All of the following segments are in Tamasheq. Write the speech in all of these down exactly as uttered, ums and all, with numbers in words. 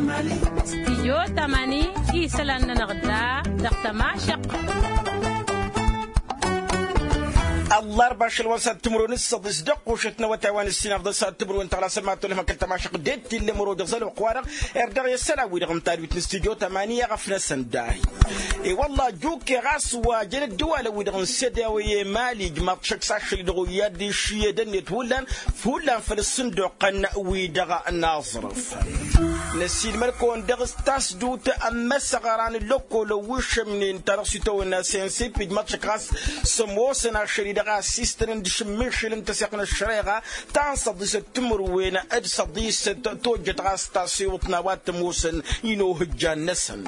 Studio tamani isălan-nănăɣ da dăɣ-tămašăq. Ăllarba ašăl wa n-săt timǝrwen s-săḍis dăɣ-kušăt n-awătay wa n-ǝssin afḍăn săt timǝrwen tăɣlasăn ma tolăhmăkăl tămašăq d-ed t-illa măro dăɣ-zăl oqq-wa-dăɣ. Erdăɣ i-ăssălan-wi-dăɣ n-tadwit n-studio tamani i-aɣăf-năsăn dahi. E-wălla jukkeɣ a-s wa jăn ăddăwalăn-wi-dăɣ n-sede a-wa i-mali ijmaḍ šăkk s-ašăl-i-dăɣ oyyad d-išǝyyădăn-net hullan hullan făll-ǝssǝnduqăn-wi-dăɣ n-aẓrǝf. Năsiilmăd-kăwăn dăɣ-s tasdut ămmăsăɣra n-ăllăkkolăn wi šămnen ta dăɣ-s itawănna sensip ijmaḍ šăkk ɣas s-ămoosăn ašăl-i-dăɣ a ăssiistănăn d-išǝmmišǝl n-tăseɣt n-ăššăreɣa ta n-săḍisăt timǝrwen d-săḍisăt tojjăt ɣas tasiwǝḍt n-a-wa t-ămoosăn inohǝjjan-năsăn.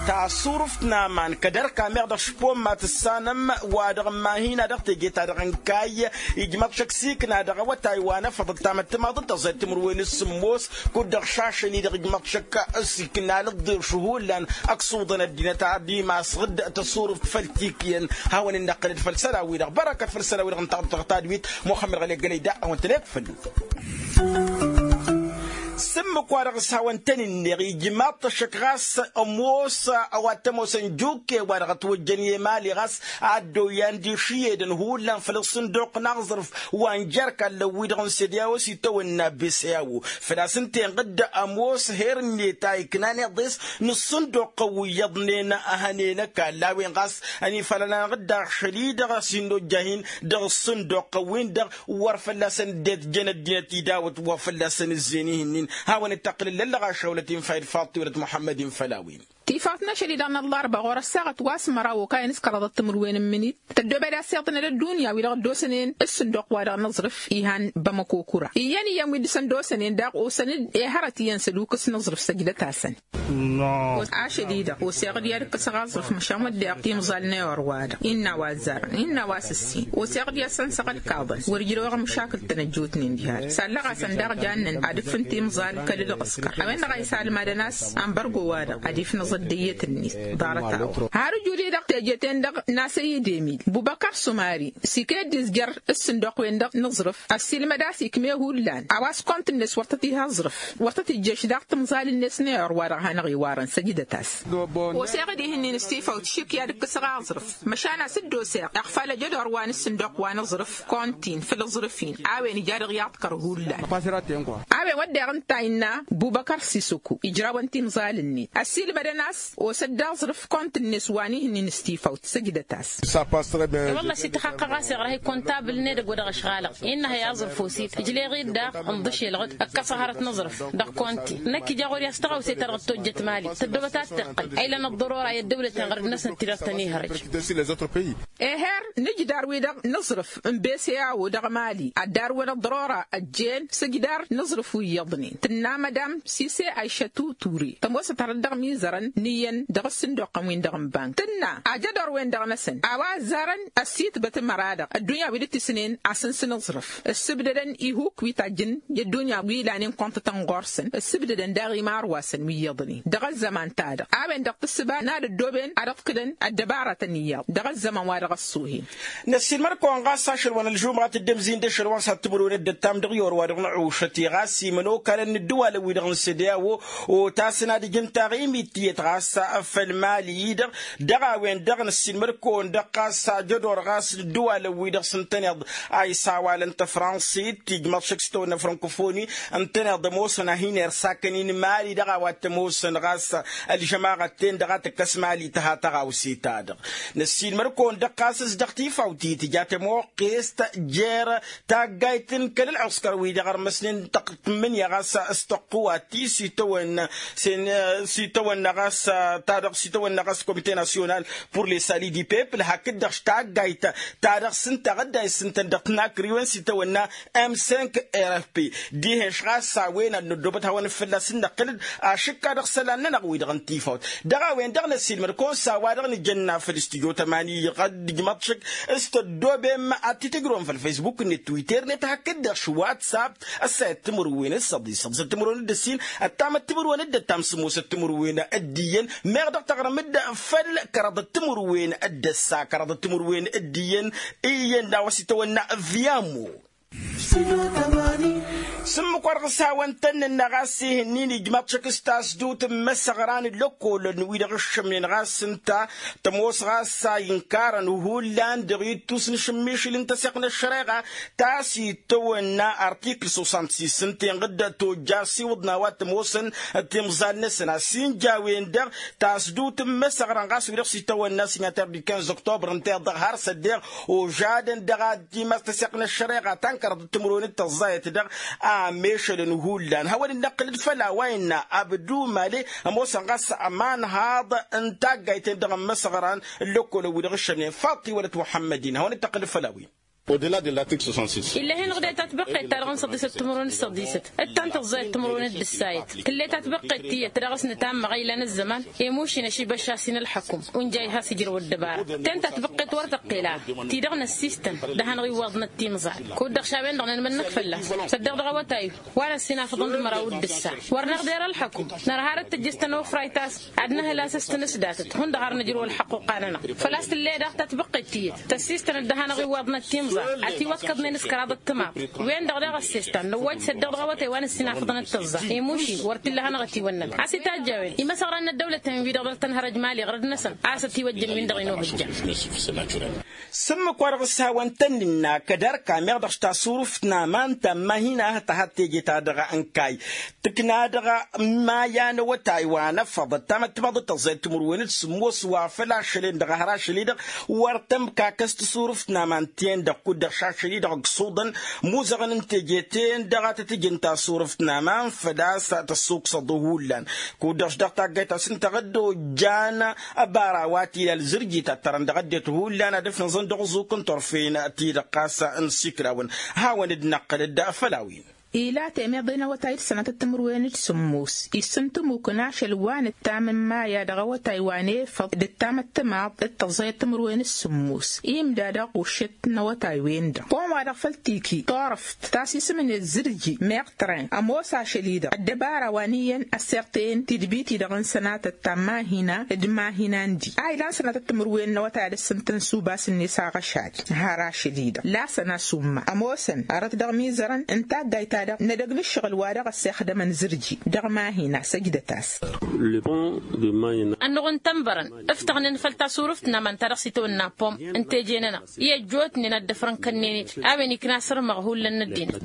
Tasurǝft n-aman kăd-ărka meɣ dăɣ-špomma tǝssanăm wa-dăɣ n-mahina dăɣ-teje-ta-dăɣ n-kayy ijmăḍ šăkk s-ikna dăɣ-awătay wa n-efăḍ ăttamăttămaḍ d-tăẓẓayt timǝrwen s-sǝmmos kud-dăɣ šašăn-i-dăɣ ijmăḍ šăkk s-ikna lăḍḍeš hullan ăksuḍăn ăddinăt ad-imasɣ d-tasurǝft făll-tikyăn. Hawăn-in-năqqǝlăd făll-isălan-wi-dăɣ bărăkăt făll-isălan-wi-dăɣ n-taɣt dăɣ-tadwit muxămmăd ɣăli ăggălăy da a-wen-tăn-ekfăl. S-ǝmmǝk-wa-dăɣ s-hawăn-tăn-inneɣ ijmaḍ-t ăššăk ɣas ămoos a-wa t-ămoosăn jukke wa-dăɣ ătwăjjăn i-emali ɣas ad-dd-oyyan d-išǝyyedăn hullan făll-ǝssǝnduq n-aẓrǝf wa n-jer-kallăn-wi-dăɣ n-sede a-wa s-itawănna bese a-wo făl-a-s ǝnta-en ɣǝdda ămoos her-net a iknan iḍes n-ǝssǝnduqăn wi iyyăḍnen. Hănen ăkall a-wen ɣas ănifalăn-anăɣ-dd ašăl-i-dăɣ a-s hin-nojjah-in dăɣ-ǝssǝnduqăn-win-dăɣ wăr fălla-săn dd-ejjăn ăddinăt idawăt wa fălla-săn ǝzzeyăn ihǝnnin. Hawăn-dd-tăqqǝlǝl ăllăɣašăwlăt infa d-faḍt tiwălăt muḥămmăd-in făll-a-wen. Tifawt n-ašăl-i-dăɣ n-ăllarba ɣur-ăssaɣăt wa s-măraw okayăn s-kăraḍăt timǝrwen n-imǝnit tăddoobed a-s iḍnăd ăddunya wi-dăɣ dd-osănen s-sǝnduq-wa-dăɣ n-aẓrǝf. Ihan bamăko kura iyyăn iyyăn wi dăɣ-săn d-osănen daɣ osăn-dd ehărăt iyyăn s-ălukǝs n-aẓrǝf săjdăt-asăn. Ašăl-i-dăɣ oseɣ-dd i-ad-ǝkkǝsăɣ aẓrǝf măšan wădden timẓal n-eor-wa-dăɣ innă a-wa ăzzarăn innă a-wa s-ǝssin oseɣ-dd i-ad-sănsăɣ ălkaḍăn wăr ǝjrăwăɣ măšakǝl-tăn ăjjootnen diha-dăɣ sallăɣ-asăn daɣ jannen ad-ǝkfǝn timẓal kăl-ǝlɣǝskăr a-wen-dăɣ a isălmadăn a-s anbărgo-wa-dăɣ ad-ifnăẓ ăddăyyăt-net. Ḍarăt-a-wa har ǝjud-i-dăɣ teje-ten-dăɣ n-asăyyăd emil bubăkăr sumari s-ikeddi s-jer-ǝssǝnduq-wen-dăɣ n-aẓrǝf ăssiilmăd a-s ikme hullan a-wa s-kont-net wăr tăt-iha aẓrǝf wăr tăt-ijješ daɣ timẓal-net n-eor wa-dăɣ hanăɣ-iwarăn săjdăt-as. Oseɣ-dd ihǝnnin s-tifawt šik i-ad-ǝkkǝsăɣ aẓrǝf măšan a-s dd-oseɣ iɣfal ăjădor wa n-ǝssǝnduq wa n-aẓrǝf kontin făll-aẓrǝf-in a-wen ija dăɣ-i aḍkăr hullan. A-wen wădden ǝnta a innă bubăkăr sisăku ijrawăn timẓal-net ăssiilmădăn a-s osăt d-aẓrǝf kont-net wa n-ihǝnnin s-tifawt săjdăt-as. Wălla s-ităxăqqăɣ a-s iɣrăh-i kontabǝl n-edăgg wa dăɣ-ăšɣalăɣ innă a hi-aẓrǝf osit ǝjleɣ-dd daɣ ǝnḍǝšel ɣǝd ǝkkăsăɣ hărăt n-aẓrǝf dăɣ-konti năkk ija ɣur-i a-s tăɣawse-ta-dăɣ dd-tojjăt mali tăddobăt ad-t-iqqăl a ilăn ăḍḍărora i-ăddăwlăten ɣărăd-năsăn tidăɣ tăn-ihărăj. Eher n-ǝjdar-wi-dăɣ n-aẓrǝf n-bese a-wo dăɣ-mali ad-darwăn ăḍḍărora ăjjeen s-ǝjdar n-aẓrǝf wi iyyăḍnen tǝnna mădam sise ayšătu ture tămoosăt hărăt dăɣ-imizărăn n-iyyăn dăɣ-ǝssǝnduqăn-win-dăɣ n-bank tǝnna ajădor-wen-dăɣ-năsăn a-wa ăzzarăn ăssitbăt ămăra-dăɣ ăddunya wi dd-tisnen asǝns n-aẓrǝf ǝssǝbdădăn ihuk wi tajjǝn i-ăddunya wi lanen kăwăn-tătăn ɣur-săn ǝssǝbdădăn daɣ imarwasăn wi iyyăḍnen dăɣ-ăzzăman-ta-dăɣ a-wen-dăɣ tǝssǝba n-ad-ăddooben ad-ăḍkǝlăn ăddăbaratăn iyyăḍ dăɣ-ăzzăman wa dăɣ-ăṣṣuhen. Năssiilmăd-kăwăn ɣas ašăl wa n-ălžumɣa tǝddǝmzin d-ašăl wa n-săt timǝrwen dd-ăttam dăɣ-i orwa-dăɣ n-ăušăt i-ɣas imănokalăn n-ǝddǝwalăn-wi-dăɣ n-sede a-wo otasăn ad-ǝjǝn taɣimit tiyyăt ɣas făll-mali-i-dăɣ dăɣ-a-wen-dăɣ năssiilmăd-kăwăn dăɣ-ɣas ajădor ɣas n-ǝddǝwalăn-wi-dăɣ s-ǝntăneḍ a isawalăn tăfransăyt ijmăḍ šăkk s-tawănna frankofoni ǝntăneḍ ămoosăn a hin-irsakăn-in mali dăɣ-a-wa t-ămoosăn ɣas ălžămaɣăt-ten-dăɣ a tǝkkăs mali tǝha tăɣawse-ta-dăɣ. Năssiilmăd-kăwăn dăɣ-ɣas s-dăɣ-tifawt i-tǝja tămoqqest jer taggayt n-kăl-ălɣǝskăr-wi-dăɣ ărmăsnen tăqq-tǝmmǝnǝya ɣas s-tăqqǝwat ti s-itawănna s-itawănna ɣas ta dăɣ-s itawănna ɣas komite nasyonal pur les sali di pepl hakd-dăɣ taggayt ta dăɣ-s ǝnta ɣǝdda issǝntăn dăɣ-tinakriwen s-itawănna m cinq rfp dihen-š ɣas a-wen ad-năddobăt hawăn-dd fălla-s ǝnnăqqǝl-dd ašǝkka dăɣ-isălan-nănăɣ wi-dăɣ n-tifawt. Dăɣ-a-wen-dăɣ năssiilmăd-kăwăn s-a-wa-dăɣ nǝjănna făll-stujo tămani iɣăd ǝjmăḍ šăkk s-tăddobem ad-t-tǝjrǝwăm făll-faysbuk-net twitter-net hakd-dăɣ š-whatsapp. Ăssayăt timǝrwen d-săḍis săḍisăt timǝrwen d-ǝssin ăttamăt timǝrwen d-ăttam sǝmmosăt timǝrwen d-iyyăn meɣ dăɣ-taɣrǝm-dd făll-kăraḍăt timǝrwen d-ăssa kăraḍăt timǝrwen d-iyyăn. Iyyăn d-a-wa s-itawănna viamo. S-ǝmmǝk wa dăɣ-s hawăn-tăn-nǝnna ɣas ihǝnnin ijmaḍ-t šăkk s-tasdut n-imăsăɣran n-lăkkolăn wi-dăɣ ǝššămnen ɣas ǝnta tămoos ɣas a inkarăn hullan dăɣ-ittus n-ašǝmmišǝl n-tăseɣt n-ăššăreɣa ta s-itawănna artikǝl soixante-six ǝnta inɣǝd tojja ăsiwǝḍ n-a-wa t-ămoosăn timẓal-năsăn a-s inja a-wen-dăɣ tasdut n-imăsăɣran ɣas wi-dăɣ s-itawănna signater du quinze octobre ǝnta iḍăɣ har s-ăddeɣ ožadăn dăɣ-ad-timas tăseɣt n-ăššăreɣa ta n-kăraḍăt timǝrwen d-tăẓẓayăt dăɣ-amešălăn hullan hawăn-dd-năqqǝlăd făll-a-wa innă abdu male ămoosăn ɣas ămanhaḍ n-taggayt-en-dăɣ n-imăsăɣran n-lăkkolăn wi-dăɣ ǝššămnen faḍt iwălăt muḥămmăd-in hawăn-dd-tăqqǝlăd făll-a-wen. Ill'-e-hin ɣǝde tatbăqqet-ta-dăɣ n-săḍisăt timǝrwen d-săḍisăt d-ta n-tăẓẓayăt timǝrwen d-ǝssayăt tǝlle tatbăqqet tiyyăt ta dăɣ-s nǝtamma ɣăylan ăzzăman i-mušin ašibăššas-in ălḥăkum unjay has-ijrăw ăddăbara. Ten tatbăqqet wăr tăqqel ara ti-dăɣ năssistăn d-ad-hanăɣ-iwwaḍnăt timẓal kud-dăɣ šawen-dăɣ nănmănnăk fălla-s săddeɣ dăɣ-awătay-wi wa năssinafăḍăn d-măraw d-ǝssa wăr năɣder ălḥăkum nărha dăɣ-tǝjjǝst ănofray ta-s ad-nǝhǝl a-s s-tǝnǝsdatăt hundăɣ har nǝjrǝw ălḥăqq oqanăn-aɣ. Făl-a-s tǝlle daɣ tatbăqqet tiyyăt tăssistăn-dd ad-hanăɣ-iwwaḍnăt timẓal ătiwăkkăḍnen s-kăraḍăt timaḍ-wen-dăɣ daɣ ăssestan năwwăj săddeɣ dăɣ-awătay wa năssinafăḍnăt tǝẓẓa i-mušin wăr t-illa ad-hanăɣ-ătiwănnăn a-s itajj a-wen imăsăɣran n-ăddăwlăt-en-wi-dăɣ dăɣ-tănhărăj mali ɣărăd-năsăn a-s ătiwăjjăn-win-dăɣ inuhǝjja. S-ǝmmǝk wa dăɣ-s hawăn-tăn-nǝnna kăd-ărka meɣ dăɣ-s tasurǝft n-aman ta n-mahina hăt-tahăt teje-ta-dăɣ n-kayy tǝkna dăɣ-maya n-awătay wa năfăḍăt tamăttămaḍăt tăẓẓayăt timǝrwen d-sǝmmos wa făl ašăl-en-dăɣ a hăr ašăl-i-dăɣ wăr tămkakăs tasurǝft n-aman-ten-dăɣ kud-dăɣ šašăl-i-dăɣ ǝgg suḍăn muzăɣăn n-teje-ten-dăɣ a tăt-ǝjǝn tasurǝft n-aman făl-a-s tăssuksăḍ hullan kud-dăɣ s-dăɣ-taggayt-as ǝnta ăddoojjan ăbara wa tilal zǝrjit ad-tărăn dăɣ-ăddinăt hullan ad-ǝfnăẓăn dăɣ-ăẓuk n-turfen-ti-dăɣ ɣas n-sikrăwăn. Hawăn-dd-năqqăl-dd făll-a-wen. Ila temeḍe n-awătay d-sănatăt timǝrwen d-sǝmmos issǝntǝmuk n-ašăl wa nǝttam n-maya dăɣ-awătay wa n-efăḍ d-ǝttam ăttămaḍ d-tăẓẓayăt timǝrwen d-sǝmmos imda daɣ ušǝt n-awătay-wen-dăɣ pon-wa-dăɣ făl tiki turăft ta s-isǝmnet zǝrji meɣ tren ămoos ašăl-i-dăɣ ăddăbara wa n-iyyăn ăssiɣtăyăn tidbit-i-dăɣ n-sănatăt ta n-mahina d-mahina n-di a ilan sănatăt timǝrwen n-awătay ad-ăssǝntăn s-ubas-net aɣăšad har ašăl-i-dăɣ lasăn asumma ămoosăn hărăt dăɣ-mizărăn n-taggayt-ta-dăɣ n-edăgg n-ǝššăɣǝl wa dăɣ-ăssexdămăn zǝrji dăɣ-mahina săjdăt-as. Ănnuɣ n-tănbărăn ǝftăɣnen făll-tasurǝft n-aman ta dăɣ-s itawănna pom n-teje-nănăɣ i-ăjjootnen ad-dd-ăfrăn kănnen-dd a-wen ikna asărmăɣ hullan n-ăddinăt.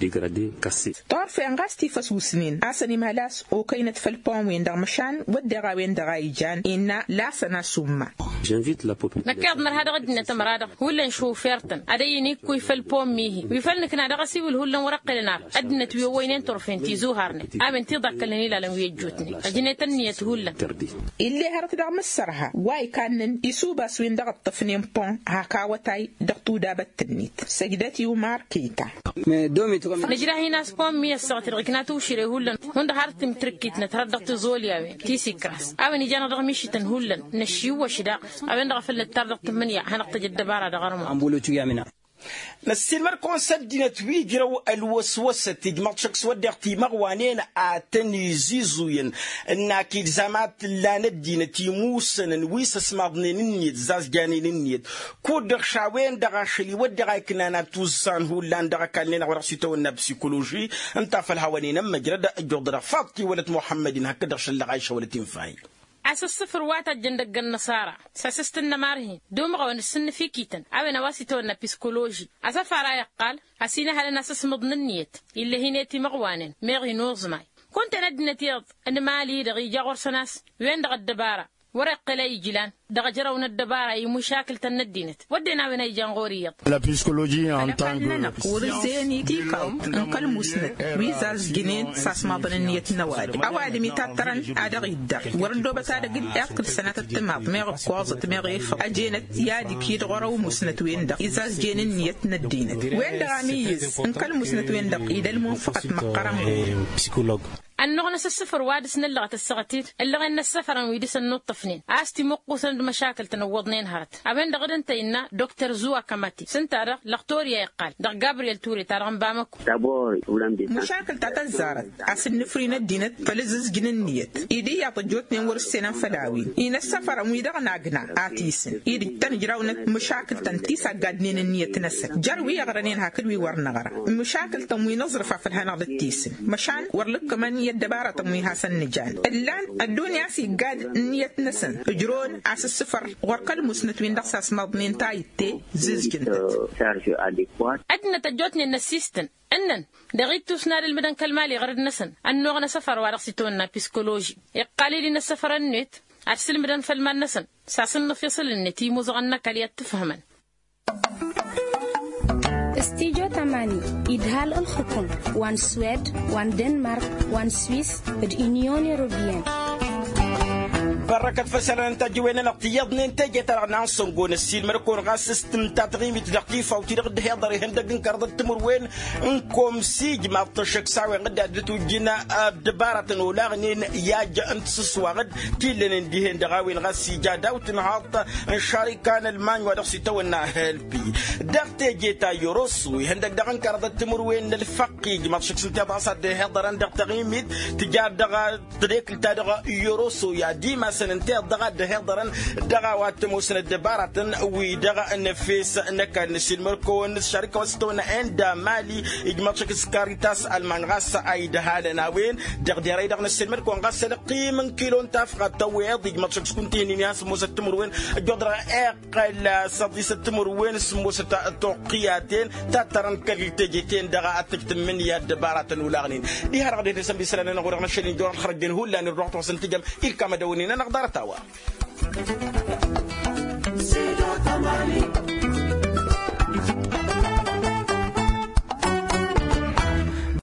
Turfen ɣas tifăsusnen a-s ănimhăl a-s okăynăt făll-pom-wen-dăɣ măšan wădden a-wen-dăɣ a ijan innă lasăn asumma. Năkk iyyăḍ nărha dăɣ-ăddinăt ămăra-dăɣ hullan šufer-tăn ad-ăyy n-ikkuy făll-pom-ihi wi făl nǝkna dăɣ-asiwǝl hullan wăr-ăqqǝlăn ar ăddinăt wi ăwwăynen turfen tizuharnen a-wen tiḍakkălnen ilalăn wi ăjjootnen ăjnet ǝnniyăt hullan. Ill'-e hărăt dăɣ-mǝssărha wa ikannăn isubas-win-dăɣ ǝṭṭăfnen pon hak awătay dăɣ-tudabăt-net săjdăt i-umar kăyta. Nǝjrah-in a-s pon mi ăssaɣăt-i-dăɣ ikna tiwšire hullan hundăɣ har timtǝrǝkkit-năt hărăt dăɣ-tiẓolyawen ti s-ikras a-wen ija-năɣ dăɣ-mišităn hullan năššiwwăš daɣ a-wen-dăɣ a făl nǝttar dăɣ-tǝmmǝnǝya ad-hanăɣ-tăj ăddăbara dăɣ-armăḍ. Năssiilmăd-kăwăn s-ăddinăt wi ǝjrăw ălwăswăsăt ijmăḍ-t šăkk s-wădden timăɣwanen a tăn-izizuyăn ǝnn-ak-dd zama a t-ǝllan ăddinăt imusănăn wi s-ăsmaḍnen ǝnniyăt zazjanen ǝnniyăt kud-dăɣ šawen-dăɣ ašăl-i wădden a iknan ad-t-uzzan hullan dăɣ-ăkall-nen-dăɣ wa dăɣ-s itawănna psikoloži. Ǝnta a făl hawăn-in-ămmăjrăd ăjjuḍădăɣ faḍt-i wălăt muḥămmăd-in hakd-dăɣ šăllăɣ ayša wălăt infa-i. A-s ǝssǝfǝr wa tajjăn dăgg-ănnăṣara s-asǝst n-inămar-hin d-umɣăwăn d-sǝnnǝfikităn a-wen a-wa s-itawănna psikoloži asăfar a iqqal a-s inăhălăn asǝsmǝḍ n-ǝnniyăt. Ill'-e hin-e timăɣwanen meɣ inuẓmay kunta-en ăddinăt iyyăḍ n-imali-dăɣ ija ɣur-săn a-s wen-dăɣ ăddăbara wăr-iqqǝl a ijlan dăɣ-ejăraw n-ăddăbara i-mušakǝl-tăn n-ăddinăt wădden a-wen a ijan ɣur-i iyyăḍ. Ălăkall-nănăɣ wăr-ǝzzeyăn i-tikaḍt n-kăl-musnăt wi zazjǝnen s-asmaḍăn ǝnniyăt n-ăwadǝm ăwadǝm itattărăn ad-dăɣ-iddăr wăr-ăddoobăt ad-ăgg-dd iḍkǝl sănatăt timaḍ meɣ ǝkkoẓăt meɣ efăḍ ăjenăt i-ad-ikǝy d-ɣur-ăwmusnăt-wen-dăɣ izazzǝyăn ǝnniyăt n-ăddinăt-wen-dăɣ a mǝyyǝz n-kăl-musnăt-wen-dăɣ idăl munfăɣăt măqqărăn. Ănnuɣnăs ăssăfăr wa dăr-s năllăɣăt ăssaɣăt-dd ǝllăɣen n-ăssăfărăn wi dăr-săn nuṭṭăfnen a-s timuqqusăn d-măšakǝl-tăn ǝwwăḍnen hărăt. A-wen-dăɣ d-ǝnta innă dr zuwa kămati s-ǝnta-dăɣ lăxtor i-a iqqal dăɣ-gabriyel ture-ta-dăɣ n-bamăko. Măšakǝl ta tăzzarăt a-s ǝnnǝfri n-ăddinăt făll-ǝzzǝzjǝn ǝnniyăt-i d-iyyăḍ ăjjootnen wăr-ǝssen ănfăl a-wen-i n-ăssăfărăn wi-dăɣ n-agna a t-isǝn-i d-ǝjtăn ǝjrawnăt măšakǝl-tăn ti s-aggadnen ǝnniyăt-năsăn jer-wi ăɣrănen hakd wi wăr năɣra. Măšakǝl-tăn wi n-aẓrǝf a făl hanăɣ-dd-tisǝn măšan wăr lǝkkămăn i-ăddăbarătăn wi hasăn-nǝjan ǝllan ăddunya a-s iggad ǝnniyăt-năsăn ǝjrăwăn a-s ǝssǝfăr ɣur-kăl-musnăt-win-dăɣ s-asmăḍnen ta itte. Zǝzjǝntăt. Ăddinăt ăjjootnen n-ăssistăn ǝnnăn dăɣ-ittus n-ad-ǝlmǝdăn kăl-mali ɣărăd-năsăn ănnuɣăn asăfăr wa dăɣ-s itwănna piskoloži iqqal-dd-in ăssăfărăn-net ad-sǝlmǝdăn făll-iman-năsăn s-asǝnnǝf iṣǝl-net i-imuzăɣăn n-ăkall i-ad-t-ǝfhǝmăn. Studyo tamani idhal ǝlxǝkum wa n-swed wa n-denmark wa n-swis d-unyon europeyăn. Bărrăkăt făll-isălan n-tajǝwen-nănăɣ tiyyăḍnen teje-ta-dăɣ n-ansăngo n-ăssiilmăd-kăwăn ɣas s-tǝnta taɣimit dăɣ-tifawt-i-dăɣ dd-hiḍăr ihăndăg n-kăraḍăt timǝrwen n-komsi ijmaḍ-t ăššăk s-a-wen dd-ad-dd-tujjǝn ăddăbaratăn olaɣnen i-ajj n-tisǝswaɣ-dd ti ǝllănen dihen dăɣ-a-wen ɣas ija daw-tǝnhaḍt n-šarika n-ălmany wa dăɣ-s itawănna helpi. Dăɣ-teje ta i-oroso ihăndăg daɣ n-kăraḍăt timǝrwen n-ălfăqq ijmaḍ šăkk s-ǝnta iḍas a dd-ihiḍărăn dăɣ-taɣimit tǝjar dăɣ-tedekǝlt-ta-dăɣ i-oroso i-ad-imasăn ǝnta iḍas a dd-ihiḍărăn dăɣ-a-wa t-ămoosăn ăddăbaratăn-wi-dăɣ n-efes n-ăkall n-ăssiilmăd-kăwăn s-šarika wa s-tăwănna enda mali ijmaḍ šăkk s-karitas ălman ɣas a idhalăn a-wen. Dăɣ-derăy-dăɣ n-ăssiilmăd-kăwăn ɣas ălqim n-kilo n-tafɣa tăwweḍ ijmaḍ šăkk s-kunta ihǝnnin i-ad-sǝmmos ăttămărwen ăjjoḍ dăɣ-eɣ ăqqăl săḍisăt timǝrwen s-ămoosăt toqqiyaten tattărăn kăl-teje-ten-dăɣ ad-tǝjtǝmmǝn i-ăddăbaratăn olaɣnen. Diha-dăɣ dehne sănbi isălan-nănăɣ-wi-dăɣ n-ašăl-in jor ălxărăjjen hullan irduɣ-t wa s-ǝntǝjăm ilkam ad-ăwănen-anăɣ ḍarăt a-wa.